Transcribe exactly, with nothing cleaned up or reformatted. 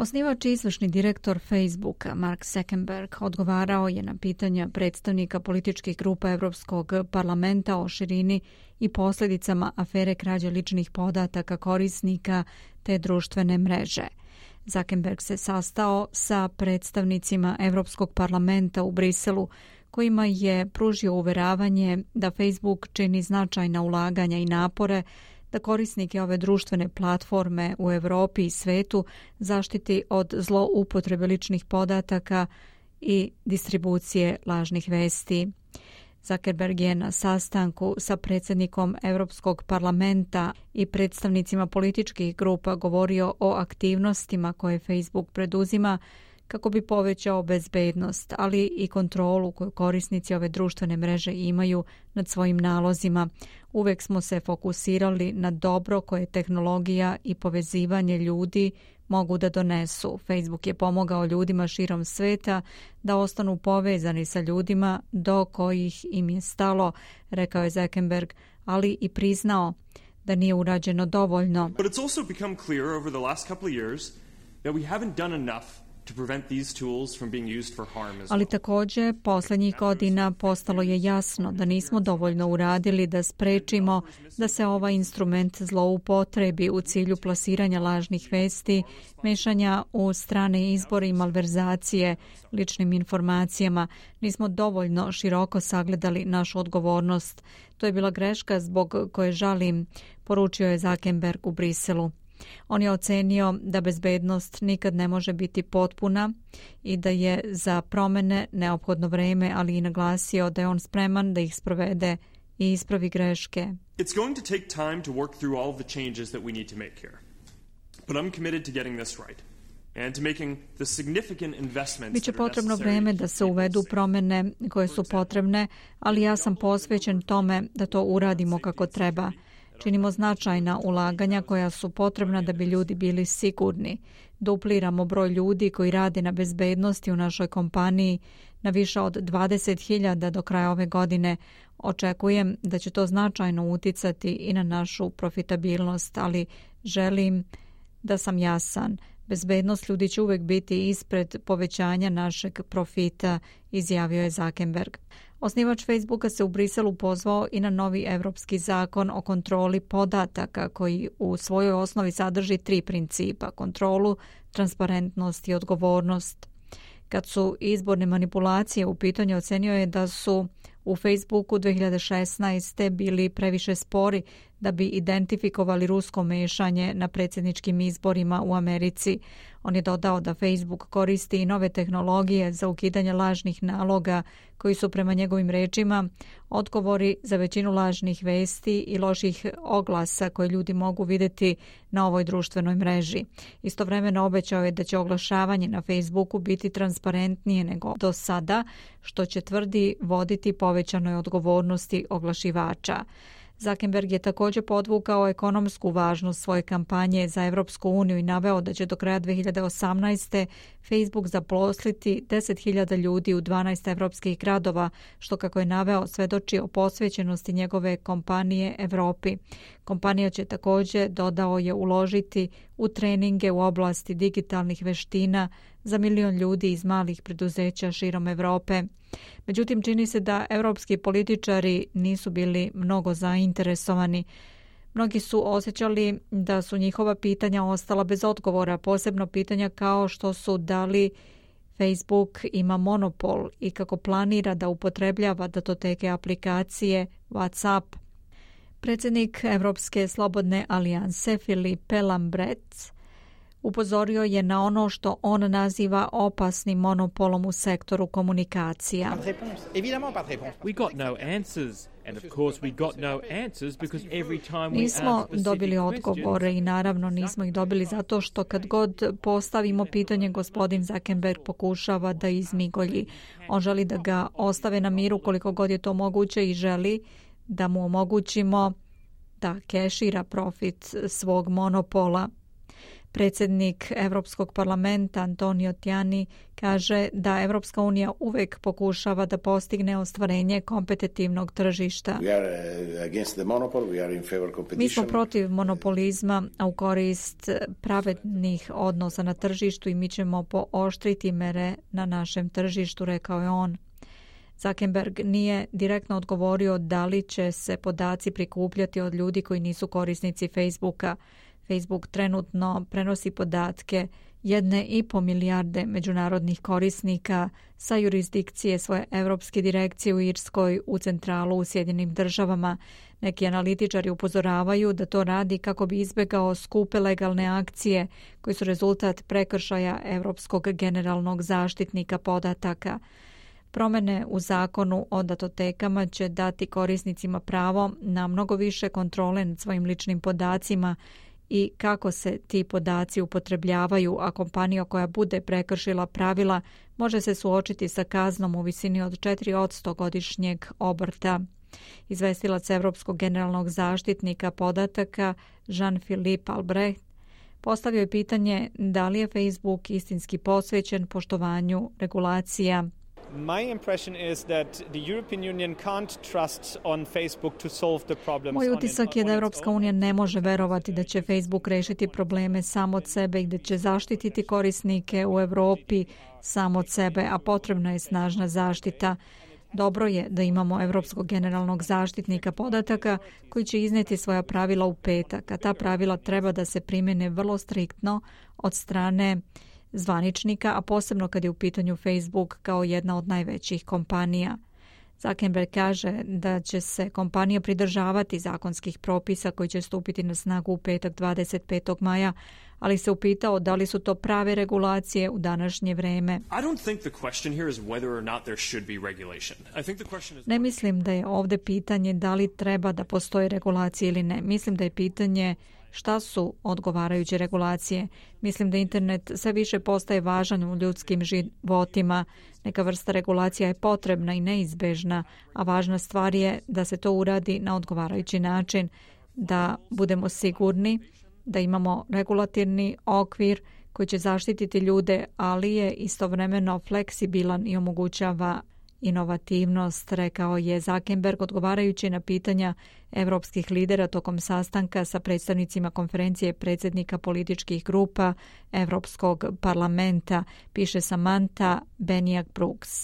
Osnivač i izvršni direktor Facebooka Mark Zuckerberg odgovarao je na pitanja predstavnika političkih grupa Evropskog parlamenta o širini i posljedicama afere krađe ličnih podataka korisnika te društvene mreže. Zuckerberg se sastao sa predstavnicima Evropskog parlamenta u Briselu, kojima je pružio uveravanje da Facebook čini značajna ulaganja i napore da korisnike ove društvene platforme u Europi i svetu zaštiti od zloupotrebe ličnih podataka i distribucije lažnih vesti. Zuckerberg je na sastanku sa predsjednikom Europskog parlamenta i predstavnicima političkih grupa govorio o aktivnostima koje Facebook preduzima kako bi povećao bezbednost, ali i kontrolu koju korisnici ove društvene mreže imaju nad svojim nalozima. Uvek smo se fokusirali na dobro koje tehnologija i povezivanje ljudi mogu da donesu. Facebook je pomogao ljudima širom sveta da ostanu povezani sa ljudima do kojih im je stalo, rekao je Zuckerberg, ali i priznao da nije urađeno dovoljno. But it's also become clear over the last couple of years that we haven't done enough to prevent these tools from being used for harm as well. Ali također posljednjih godina postalo je jasno da nismo dovoljno uradili da sprečimo da se ovaj instrument zloupotrebi u cilju plasiranja lažnih vesti, mešanja u strane izbore i malverzacije ličnim informacijama. Nismo dovoljno široko sagledali našu odgovornost. To je bila greška zbog koje žalim, poručio je Zuckerberg u Briselu. On je ocenio da bezbednost nikad ne može biti potpuna i da je za promjene neophodno vreme, ali i naglasio da je on spreman da ih sprovede i ispravi greške. It's going to take time to work through all of the changes that we need to make here. But I'm committed to getting this right. And to making the significant investments. Biće potrebno vreme da se uvedu promjene koje su potrebne, ali ja sam posvećen tome da to uradimo kako treba. Činimo značajna ulaganja koja su potrebna da bi ljudi bili sigurni. Dupliramo broj ljudi koji rade na bezbednosti u našoj kompaniji na više od dvadeset hiljada do kraja ove godine. Očekujem da će to značajno uticati i na našu profitabilnost, ali želim da sam jasan. Bezbednost ljudi će uvek biti ispred povećanja našeg profita, izjavio je Zuckerberg. Osnivač Facebooka se u Briselu pozvao i na novi evropski zakon o kontroli podataka koji u svojoj osnovi sadrži tri principa: kontrolu, transparentnost i odgovornost. Kad su izborne manipulacije u pitanju, ocenio je da su u Facebooku dve hiljade šesnaeste bili previše spori da bi identifikovali rusko mešanje na predsjedničkim izborima u Americi. On je dodao da Facebook koristi i nove tehnologije za ukidanje lažnih naloga koji su prema njegovim rečima odgovori za većinu lažnih vesti i loših oglasa koje ljudi mogu vidjeti na ovoj društvenoj mreži. Istovremeno obećao je da će oglašavanje na Facebooku biti transparentnije nego do sada, što će, tvrdi, voditi povećanoj odgovornosti oglašivača. Zuckerberg je također podvukao ekonomsku važnost svoje kampanje za Evropsku uniju i naveo da će do kraja dve hiljade osamnaeste. Facebook zaposliti deset hiljada ljudi u dvanaest evropskih gradova, što, kako je naveo, svedoči o posvećenosti njegove kompanije Evropi. Kompanija će također, dodao je, uložiti u treninge u oblasti digitalnih veština za milion ljudi iz malih preduzeća širom Evrope. Međutim, čini se da evropski političari nisu bili mnogo zainteresovani. Mnogi su osjećali da su njihova pitanja ostala bez odgovora, posebno pitanja kao što su da li Facebook ima monopol i kako planira da upotrebljava datoteke aplikacije WhatsApp. Predsjednik Evropske slobodne alijanse Philippe Lambrec upozorio je na ono što on naziva opasnim monopolom u sektoru komunikacija. Nismo dobili odgovore i naravno nismo ih dobili zato što kad god postavimo pitanje, gospodin Zuckerberg pokušava da izmigolji. On želi da ga ostave na miru koliko god je to moguće i želi da mu omogućimo da kešira profit svog monopola. Predsjednik Evropskog parlamenta Antonio Tajani kaže da Evropska unija uvek pokušava da postigne ostvarenje kompetitivnog tržišta. Mi smo protiv monopolizma, a u korist pravednih odnosa na tržištu i mi ćemo pooštriti mere na našem tržištu, rekao je on. Zuckerberg nije direktno odgovorio da li će se podaci prikupljati od ljudi koji nisu korisnici Facebooka. Facebook trenutno prenosi podatke jedne i po milijarde međunarodnih korisnika sa jurisdikcije svoje evropske direkcije u Irskoj u centralu u Sjedinjenim državama. Neki analitičari upozoravaju da to radi kako bi izbjegao skupe legalne akcije koji su rezultat prekršaja Evropskog generalnog zaštitnika podataka. Promjene u zakonu o datotekama će dati korisnicima pravo na mnogo više kontrole nad svojim ličnim podacima i kako se ti podaci upotrebljavaju, a kompanija koja bude prekršila pravila može se suočiti sa kaznom u visini od četiri posto godišnjeg obrta. Izvestilac Evropskog generalnog zaštitnika podataka Jean-Philippe Albrecht postavio je pitanje da li je Facebook istinski posvećen poštovanju regulacija. My impression is that the European Union can't trust on Facebook to solve the problems. Moj utisak je da Evropska unija ne može verovati da će Facebook rešiti probleme sam od sebe i da će zaštititi korisnike u Europi sam od sebe, a potrebna je snažna zaštita. Dobro je da imamo Evropskog generalnog zaštitnika podataka koji će izneti svoja pravila u petak, a ta pravila treba da se primjene vrlo striktno od strane zvaničnika, a posebno kad je u pitanju Facebook kao jedna od najvećih kompanija. Zuckerberg kaže da će se kompanija pridržavati zakonskih propisa koji će stupiti na snagu u petak dvadeset petog maja, ali se upitao da li su to prave regulacije u današnje vreme. Ne mislim da je ovdje pitanje da li treba da postoji regulacije ili ne. Mislim da je pitanje šta su odgovarajuće regulacije. Mislim da internet sve više postaje važan u ljudskim životima. Neka vrsta regulacija je potrebna i neizbežna, a važna stvar je da se to uradi na odgovarajući način, da budemo sigurni da imamo regulatorni okvir koji će zaštititi ljude, ali je istovremeno fleksibilan i omogućava inovativnost, rekao je Zuckerberg odgovarajući na pitanja evropskih lidera tokom sastanka sa predstavnicima konferencije predsjednika političkih grupa Evropskog parlamenta, piše Samantha Benijak Brooks.